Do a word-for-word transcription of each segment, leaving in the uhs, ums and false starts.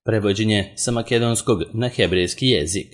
prevođenje sa makedonskog na hebrejski jezik.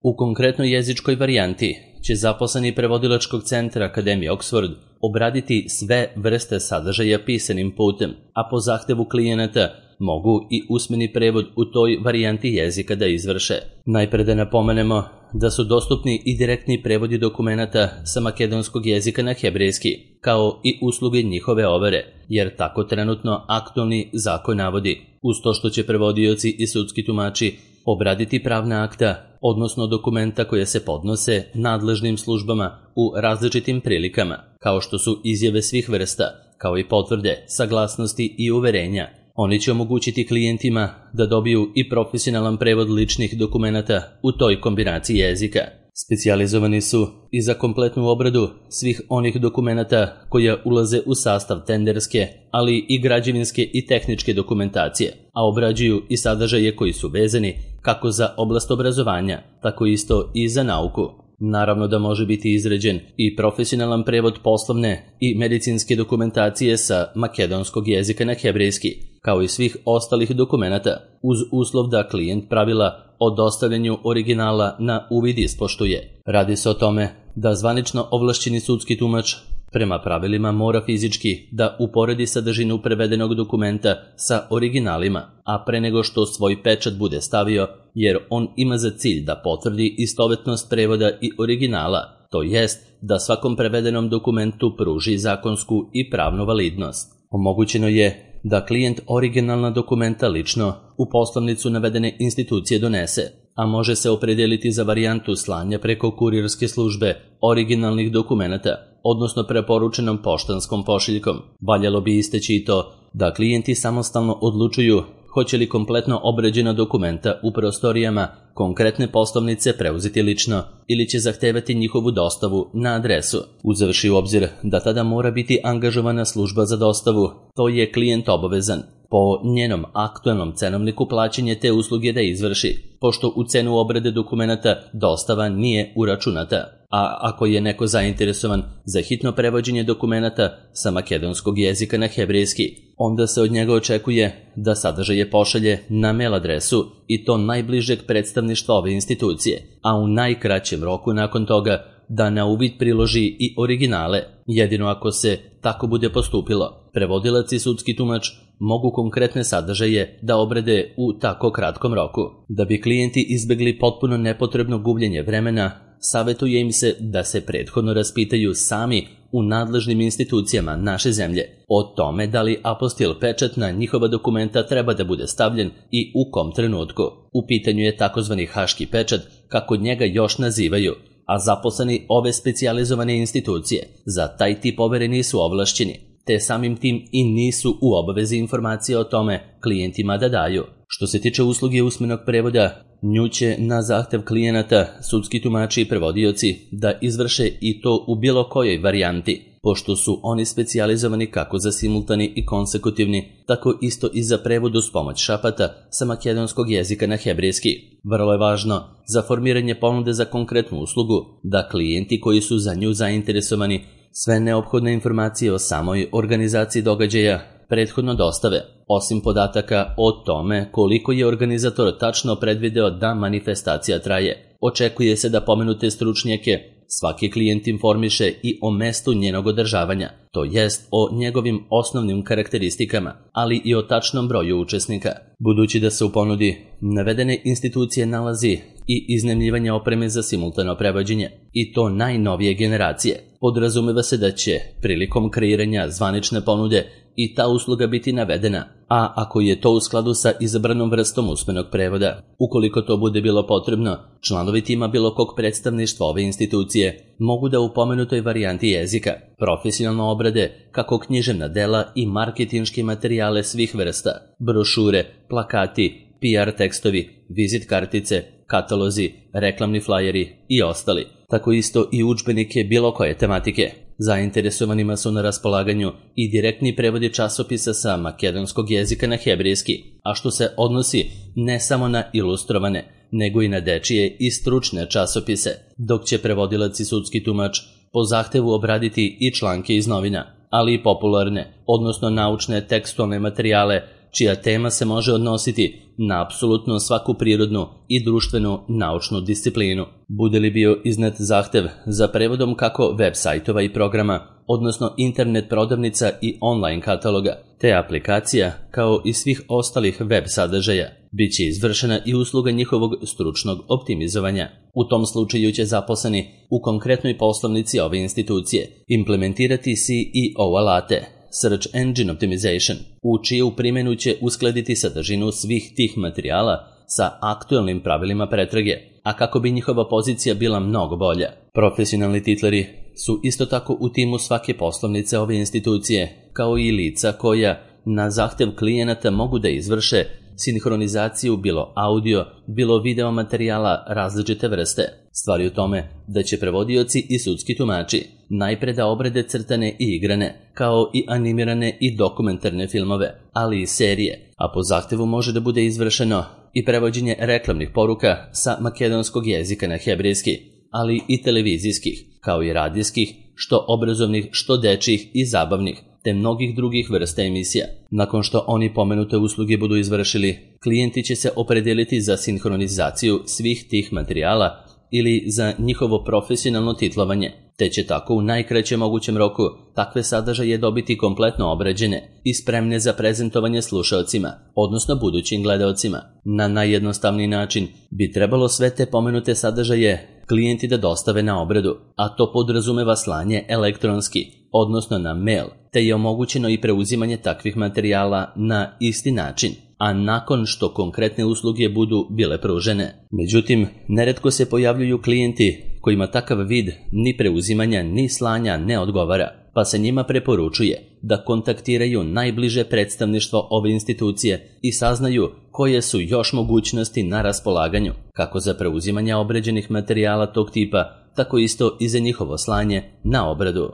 U konkretnoj jezičkoj varijanti će zaposleni prevodilačkog centra Akademije Oxford obraditi sve vrste sadržaja pisanim putem, a po zahtevu klijenata mogu i usmeni prevod u toj varijanti jezika da izvrše. Najpre da napomenemo da su dostupni i direktni prevodi dokumenata sa makedonskog jezika na hebrejski, kao i usluge njihove overe, jer tako trenutno aktualni zakon navodi, uz to što će prevodioci i sudski tumači obraditi pravna akta, odnosno dokumenta koje se podnose nadležnim službama u različitim prilikama, kao što su izjave svih vrsta, kao i potvrde, saglasnosti i uverenja. Oni će omogućiti klijentima da dobiju i profesionalan prevod ličnih dokumenata u toj kombinaciji jezika. Specijalizovani su i za kompletnu obradu svih onih dokumenata koja ulaze u sastav tenderske, ali i građevinske i tehničke dokumentacije, a obrađuju i sadržaje koji su vezani kako za oblast obrazovanja, tako isto i za nauku. Naravno da može biti izrađen i profesionalan prevod poslovne i medicinske dokumentacije sa makedonskog jezika na hebrejski, kao i svih ostalih dokumenata, uz uslov da klijent pravila o dostavljanju originala na uvid ispoštuje. Radi se o tome da zvanično ovlašćeni sudski tumač prema pravilima mora fizički da uporedi sadržinu prevedenog dokumenta sa originalima, a pre nego što svoj pečat bude stavio, jer on ima za cilj da potvrdi istovetnost prevoda i originala, to jest da svakom prevedenom dokumentu pruži zakonsku i pravnu validnost. Omogućeno je da klijent originalna dokumenta lično u poslovnicu navedene institucije donese, a može se opredeliti za varijantu slanja preko kurirske službe originalnih dokumenata, odnosno preporučenom poštanskom pošiljkom. Valjalo bi isteći i to da klijenti samostalno odlučuju hoće li kompletno obrađena dokumenta u prostorijama konkretne poslovnice preuzeti lično ili će zahtevati njihovu dostavu na adresu. Uzevši u obzir da tada mora biti angažovana služba za dostavu, to je klijent obavezan po njenom aktualnom cenovniku plaćanje te usluge da izvrši, pošto u cenu obrade dokumenata dostava nije uračunata. A ako je neko zainteresovan za hitno prevođenje dokumenata sa makedonskog jezika na hebrejski, onda se od njega očekuje da sadržaje pošalje na mail adresu i to najbližeg predstavništva ove institucije, a u najkraćem roku nakon toga da na uvid priloži i originale, jedino ako se tako bude postupilo. Prevodilac i sudski tumač mogu konkretne sadržaje da obrade u tako kratkom roku. Da bi klijenti izbegli potpuno nepotrebno gubljenje vremena, savjetuje im se da se prethodno raspitaju sami u nadležnim institucijama naše zemlje o tome da li apostil pečat na njihova dokumenta treba da bude stavljen i u kom trenutku. U pitanju je takozvani haški pečat, kako njega još nazivaju, a zaposleni ove specijalizovane institucije za taj tip overe nisu ovlašćeni, te samim tim i nisu u obavezi informacije o tome klijentima da daju. Što se tiče usluge usmenog prevoda, nju će na zahtev klijenata sudski tumači i prevodioci da izvrše i to u bilo kojoj varijanti, pošto su oni specijalizovani kako za simultani i konsekutivni, tako isto i za prevod uz pomoć šapata sa makedonskog jezika na hebrejski. Vrlo je važno za formiranje ponude za konkretnu uslugu da klijenti koji su za nju zainteresovani sve neophodne informacije o samoj organizaciji događaja prethodno dostave, osim podataka o tome koliko je organizator tačno predvideo da manifestacija traje. Očekuje se da pomenute stručnjake svaki klijent informiše i o mestu njenog održavanja, to jest o njegovim osnovnim karakteristikama, ali i o tačnom broju učesnika. Budući da se u ponudi navedene institucije nalazi i iznajmljivanje opreme za simultano prevođenje, i to najnovije generacije, podrazumeva se da će prilikom kreiranja zvanične ponude i ta usluga biti navedena, a ako je to u skladu sa izabranom vrstom usmenog prevoda. Ukoliko to bude bilo potrebno, članovi tima bilo kog predstavništva ove institucije mogu da u pomenutoj varijanti jezika profesionalno obrade kako književna dela i marketinške materijale svih vrsta, brošure, plakati, P R tekstovi, vizit kartice, katalozi, reklamni flajeri i ostali, tako isto i udžbenike bilo koje tematike. Zainteresovanima su na raspolaganju i direktni prevodi časopisa sa makedonskog jezika na hebrejski, a što se odnosi ne samo na ilustrovane, nego i na dečije i stručne časopise, dok će prevodilac i sudski tumač po zahtevu obraditi i članke iz novina, ali i popularne, odnosno naučne tekstualne materijale čija tema se može odnositi na apsolutno svaku prirodnu i društvenu naučnu disciplinu. Bude li bio iznet zahtev za prevodom kako web sajtova i programa, odnosno internet prodavnica i online kataloga, te aplikacija, kao i svih ostalih web sadržaja, bit će izvršena i usluga njihovog stručnog optimizovanja. U tom slučaju će zaposleni u konkretnoj poslovnici ove institucije implementirati C E O alate, Search Engine Optimization, u čiju primjenu će uskladiti sadržinu svih tih materijala sa aktualnim pravilima pretrage, a kako bi njihova pozicija bila mnogo bolja. Profesionalni titleri su isto tako u timu svake poslovnice ove institucije, kao i lica koja na zahtev klijenata mogu da izvrše sinhronizaciju bilo audio, bilo video materijala različite vrste. Stvar je u tome da će prevodioci i sudski tumači najpre da obrade crtane i igrane, kao i animirane i dokumentarne filmove, ali i serije, a po zahtevu može da bude izvršeno i prevođenje reklamnih poruka sa makedonskog jezika na hebrejski, ali i televizijskih, kao i radijskih, što obrazovnih, što dečjih i zabavnih, te mnogih drugih vrsta emisija. Nakon što oni pomenute usluge budu izvršili, klijenti će se opredeliti za sinhronizaciju svih tih materijala ili za njihovo profesionalno titlovanje, te će tako u najkraćem mogućem roku takve sadržaje dobiti kompletno obrađene i spremne za prezentovanje slušaocima, odnosno budućim gledaocima. Na najjednostavniji način bi trebalo sve te pomenute sadržaje klijenti da dostave na obradu, a to podrazumeva slanje elektronski, odnosno na mail, te je omogućeno i preuzimanje takvih materijala na isti način, a nakon što konkretne usluge budu bile pružene. Međutim, neretko se pojavljuju klijenti kojima takav vid ni preuzimanja ni slanja ne odgovara, pa se njima preporučuje da kontaktiraju najbliže predstavništvo ove institucije i saznaju koje su još mogućnosti na raspolaganju, kako za preuzimanje obrađenih materijala tog tipa, tako isto i za njihovo slanje na obradu.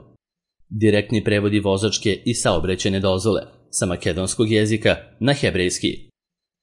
Direktni prevodi vozačke i saobraćajne dozvole sa makedonskog jezika na hebrejski.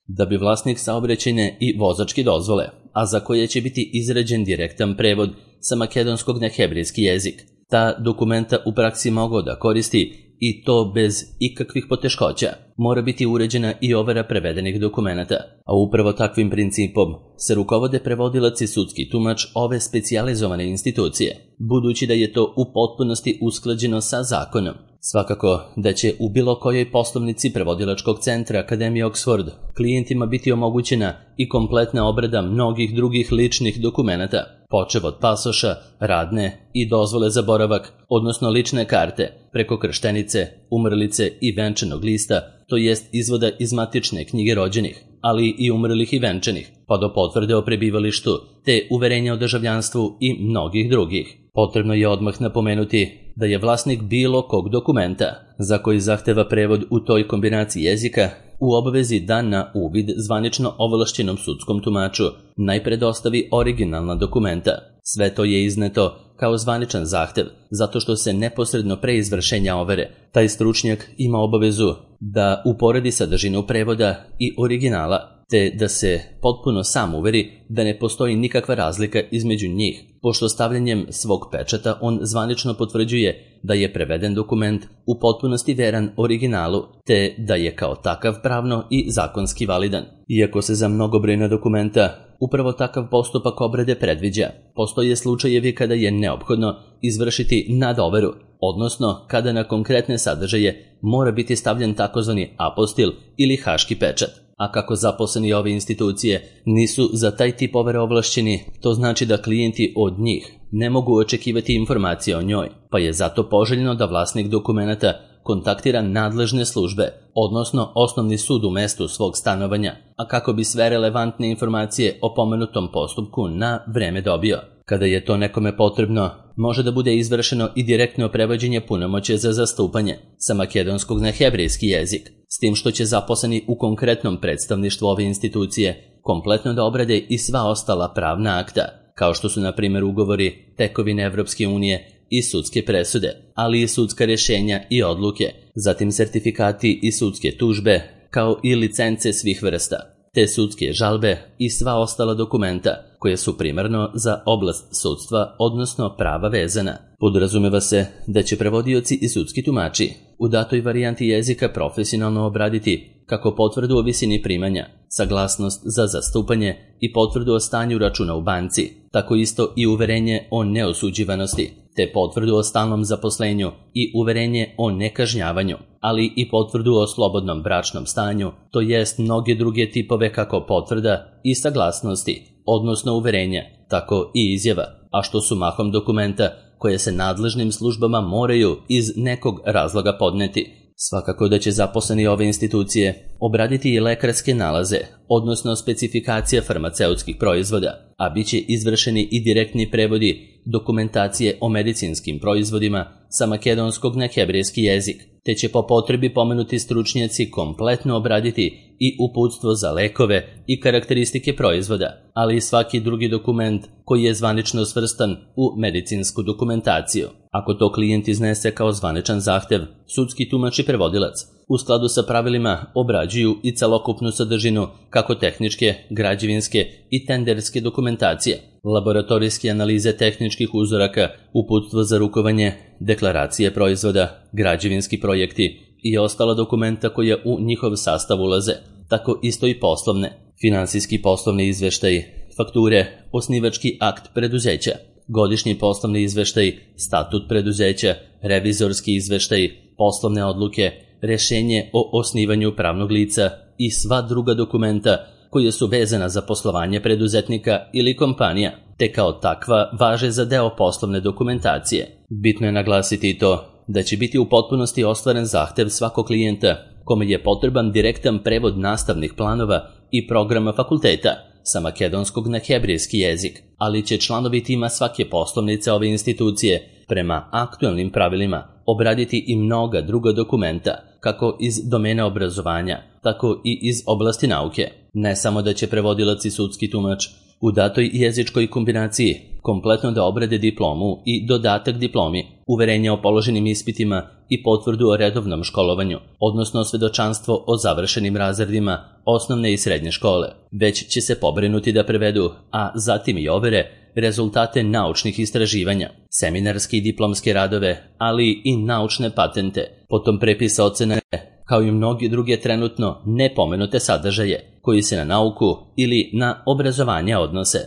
Da bi vlasnik saobraćajne i vozačke dozvole, a za koje će biti izrađen direktan prevod sa makedonskog na hebrejski jezik, ta dokumenta u praksi mogao da koristi i to bez ikakvih poteškoća, mora biti uređena i overa prevedenih dokumenata, a upravo takvim principom se rukovode prevodilac i sudski tumač ove specijalizovane institucije, budući da je to u potpunosti usklađeno sa zakonom. Svakako da će u bilo kojoj poslovnici prevodilačkog centra Akademije Oxford klijentima biti omogućena i kompletna obrada mnogih drugih ličnih dokumenata, počev od pasoša, radne i dozvole za boravak, odnosno lične karte, preko krštenice, umrlice i venčanog lista, to jest izvoda iz matične knjige rođenih, ali i umrlih i venčanih, pa do potvrde o prebivalištu, te uverenja o državljanstvu i mnogih drugih. Potrebno je odmah napomenuti da je vlasnik bilo kog dokumenta za koji zahteva prevod u toj kombinaciji jezika u obavezi da na uvid zvanično ovlašćenom sudskom tumaču najpre dostavi originalna dokumenta. Sve to je izneto kao zvaničan zahtev, zato što se neposredno pre izvršenja overe taj stručnjak ima obavezu da uporedi sadržinu prevoda i originala, te da se potpuno sam uveri da ne postoji nikakva razlika između njih, pošto stavljanjem svog pečata on zvanično potvrđuje da je preveden dokument u potpunosti veran originalu, te da je kao takav pravno i zakonski validan. Iako se za mnogobrojna dokumenta upravo takav postupak obrade predviđa, postoje slučajevi kada je neophodno izvršiti nadoveru, odnosno kada na konkretne sadržaje mora biti stavljen takozvani apostil ili haški pečat. A kako zaposleni ove institucije nisu za taj tip overe ovlašćeni, to znači da klijenti od njih ne mogu očekivati informacije o njoj, pa je zato poželjno da vlasnik dokumenata kontaktira nadležne službe, odnosno osnovni sud u mestu svog stanovanja, a kako bi sve relevantne informacije o pomenutom postupku na vreme dobio. Kada je to nekome potrebno, može da bude izvršeno i direktno prevođenje punomoćja za zastupanje sa makedonskog na hebrejski jezik, s tim što će zaposleni u konkretnom predstavništvu ove institucije kompletno da obrade i sva ostala pravna akta, kao što su na primjer ugovori, tekovine Evropske unije i sudske presude, ali i sudska rješenja i odluke, zatim sertifikati i sudske tužbe, kao i licence svih vrsta. te sudske žalbe i sva ostala dokumenta koje su primarno za oblast sudstva, odnosno prava vezana. Podrazumeva se da će prevodioci i sudski tumači u datoj varijanti jezika profesionalno obraditi kako potvrdu o visini primanja, saglasnost za zastupanje i potvrdu o stanju računa u banci, tako isto i uverenje o neosuđivanosti, te potvrdu o stalnom zaposlenju i uverenje o nekažnjavanju, ali i potvrdu o slobodnom bračnom stanju, to jest mnoge druge tipove kako potvrda i saglasnosti, odnosno uverenja, tako i izjava, a što su mahom dokumenta koje se nadležnim službama moraju iz nekog razloga podneti. Svakako da će zaposleni ove institucije obraditi i lekarske nalaze, odnosno specifikacije farmaceutskih proizvoda, a bit će izvršeni i direktni prevodi dokumentacije o medicinskim proizvodima sa makedonskog na hebrejski jezik, te će po potrebi pomenuti stručnjaci kompletno obraditi i uputstvo za lekove i karakteristike proizvoda, ali i svaki drugi dokument koji je zvanično svrstan u medicinsku dokumentaciju. Ako to klijent iznese kao zvaničan zahtev, sudski tumač i prevodilac u skladu sa pravilima obrađuju i celokupnu sadržinu kako tehničke, građevinske i tenderske dokumentacije, laboratorijske analize tehničkih uzoraka, uputstvo za rukovanje, deklaracije proizvoda, građevinski projekti i ostala dokumenta koja u njihov sastav ulaze, tako isto i poslovne, finansijski poslovni izveštaji, fakture, osnivački akt preduzeća, godišnji poslovni izveštaj, statut preduzeća, revizorski izveštaj, poslovne odluke, rešenje o osnivanju pravnog lica i sva druga dokumenta koje su vezana za poslovanje preduzetnika ili kompanija, te kao takva važe za deo poslovne dokumentacije. Bitno je naglasiti i to da će biti u potpunosti ostvaren zahtev svakog klijenta kome je potreban direktan prevod nastavnih planova i programa fakulteta sa makedonskog na hebrejski jezik, ali će članovi tima svake poslovnice ove institucije prema aktualnim pravilima obraditi i mnoga druga dokumenta, kako iz domena obrazovanja, tako i iz oblasti nauke. Ne samo da će prevodilac i sudski tumač u datoj jezičkoj kombinaciji kompletno da obrade diplomu i dodatak diplomi, uverenje o položenim ispitima i potvrdu o redovnom školovanju, odnosno svedočanstvo o završenim razredima osnovne i srednje škole, već će se pobrinuti da prevedu, a zatim i overe, rezultate naučnih istraživanja, seminarske i diplomske radove, ali i naučne patente, potom prepisa ocene, kao i mnogi druge trenutno nepomenute sadržaje koji se na nauku ili na obrazovanje odnose.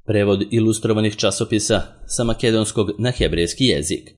Prevod ilustrovanih časopisa sa makedonskog na hebrejski jezik.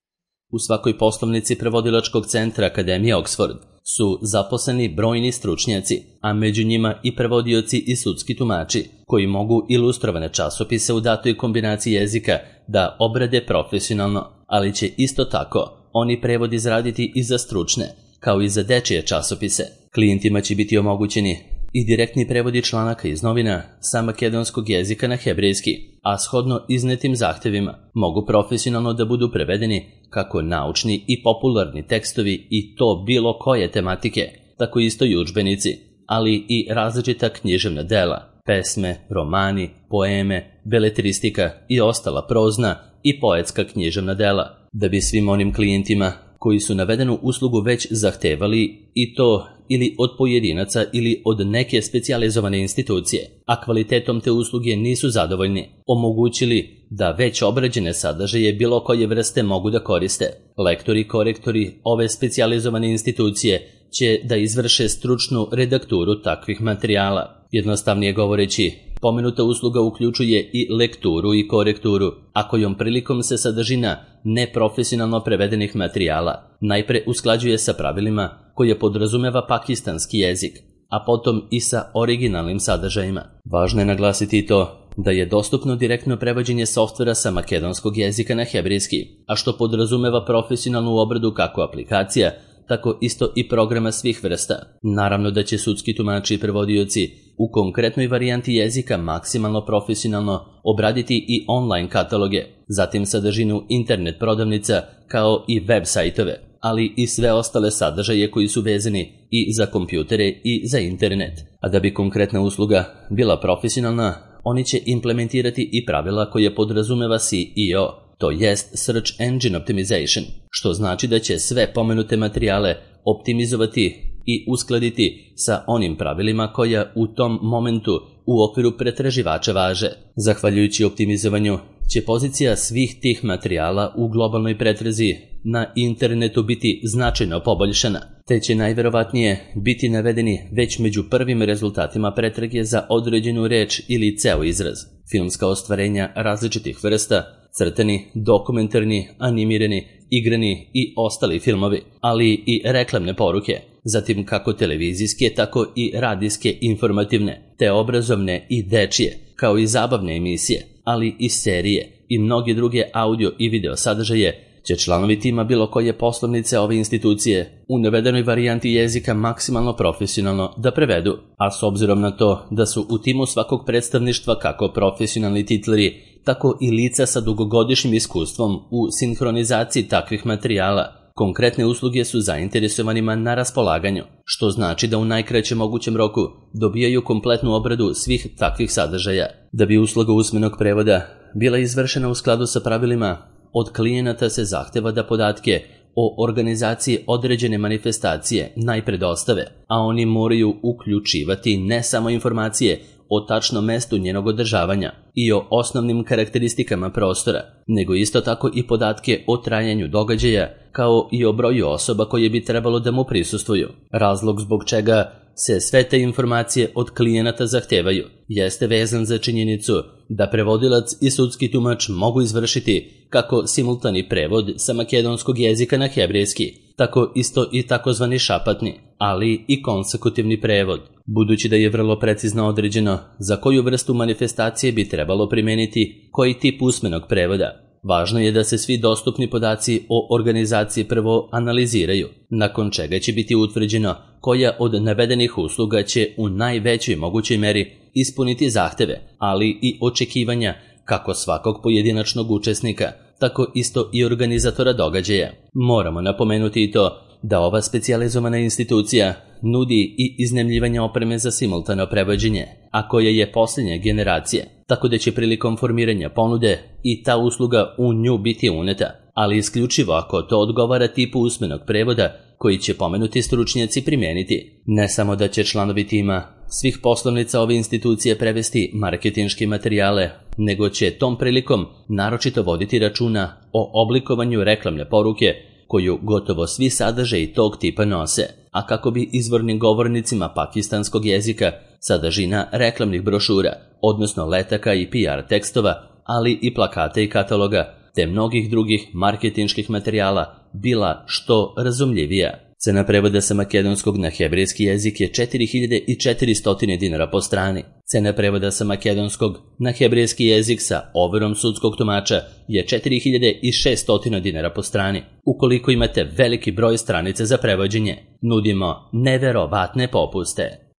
U svakoj poslovnici prevodilačkog centra Akademije Oxford su zaposleni brojni stručnjaci, a među njima i prevodioci i sudski tumači, koji mogu ilustrovane časopise u datoj kombinaciji jezika da obrade profesionalno, ali će isto tako oni prevod izraditi i za stručne, kao i za dečije časopise. Klijentima će biti omogućeni i direktni prevodi članaka iz novina sa makedonskog jezika na hebrejski, a shodno iznetim zahtevima mogu profesionalno da budu prevedeni kako naučni i popularni tekstovi i to bilo koje tematike, tako isto i udžbenici, ali i različita književna dela, pesme, romani, poeme, beletristika i ostala prozna i poetska književna dela, da bi svim onim klijentima koji su navedenu uslugu već zahtevali i to ili od pojedinaca ili od neke specijalizovane institucije, a kvalitetom te usluge nisu zadovoljni, omogućili da već obrađene sadržaje bilo koje vrste mogu da koriste. Lektori i korektori ove specijalizovane institucije će da izvrše stručnu redakturu takvih materijala. Jednostavnije govoreći, pomenuta usluga uključuje i lekturu i korekturu, a kojom prilikom se sadržina neprofesionalno prevedenih materijala najpre usklađuje sa pravilima koje podrazumeva pakistanski jezik, a potom i sa originalnim sadržajima. Važno je naglasiti i to da je dostupno direktno prevođenje softvera sa makedonskog jezika na hebrejski, a što podrazumeva profesionalnu obradu kako aplikacija, tako isto i programa svih vrsta. Naravno da će sudski tumači i prevodioci u konkretnoj varijanti jezika maksimalno profesionalno obraditi i online kataloge, zatim sadržinu internet prodavnica kao i web sajtove, ali i sve ostale sadržaje koji su vezani i za kompjutere i za internet. A da bi konkretna usluga bila profesionalna, oni će implementirati i pravila koje podrazumeva S E O, to jest Search Engine Optimization, što znači da će sve pomenute materijale optimizovati i uskladiti sa onim pravilima koja u tom momentu u okviru pretraživača važe. Zahvaljujući optimizovanju će pozicija svih tih materijala u globalnoj pretrazi na internetu biti značajno poboljšana, te će najverovatnije biti navedeni već među prvim rezultatima pretrage za određenu reč ili ceo izraz. Filmska ostvarenja različitih vrsta, crtani, dokumentarni, animirani, igrani i ostali filmovi, ali i reklamne poruke, zatim kako televizijske, tako i radijske informativne, te obrazovne i dečije, kao i zabavne emisije, ali i serije i mnoge druge audio i video sadržaje će članovi tima bilo koje poslovnice ove institucije u navedenoj varijanti jezika maksimalno profesionalno da prevedu, a s obzirom na to da su u timu svakog predstavništva kako profesionalni titleri, tako i lica sa dugogodišnjim iskustvom u sinhronizaciji takvih materijala, konkretne usluge su zainteresovanima na raspolaganju, što znači da u najkraćem mogućem roku dobijaju kompletnu obradu svih takvih sadržaja. Da bi usluga usmenog prevoda bila izvršena u skladu sa pravilima, od klijenata se zahteva da podatke o organizaciji određene manifestacije najpre dostave, a oni moraju uključivati ne samo informacije o tačnom mestu njenog održavanja i o osnovnim karakteristikama prostora, nego isto tako i podatke o trajanju događaja, kao i o broju osoba koje bi trebalo da mu prisustvuju. Razlog zbog čega se sve te informacije od klijenata zahtevaju jeste vezan za činjenicu da prevodilac i sudski tumač mogu izvršiti kako simultani prevod sa makedonskog jezika na hebrejski, tako isto i takozvani šapatni, ali i konsekutivni prevod. Budući da je vrlo precizno određeno za koju vrstu manifestacije bi trebalo primeniti koji tip usmenog prevoda, važno je da se svi dostupni podaci o organizaciji prvo analiziraju, nakon čega će biti utvrđeno koja od navedenih usluga će u najvećoj mogućoj meri ispuniti zahteve, ali i očekivanja kako svakog pojedinačnog učesnika, tako isto i organizatora događaja. Moramo napomenuti i to da ova specijalizovana institucija nudi i iznajmljivanje opreme za simultano prevođenje, a koja je posljednje generacije, tako da će prilikom formiranja ponude i ta usluga u nju biti uneta, ali isključivo ako to odgovara tipu usmenog prevoda koji će pomenuti stručnjaci primijeniti. Ne samo da će članovi tima svih poslovnica ove institucije prevesti marketinške materijale, nego će tom prilikom naročito voditi računa o oblikovanju reklamne poruke koju gotovo svi sadržaji tog tipa nose, a kako bi izvornim govornicima pakistanskog jezika sadržina reklamnih brošura, odnosno letaka i P R tekstova, ali i plakata i kataloga, te mnogih drugih marketinških materijala bila što razumljivija. Cena prevoda sa makedonskog na hebrejski jezik je četiri hiljade četiristo dinara po strani. Cena prevoda sa makedonskog na hebrejski jezik sa overom sudskog tumača je četiri hiljade šesto dinara po strani. Ukoliko imate veliki broj stranica za prevođenje, nudimo neverovatne popuste.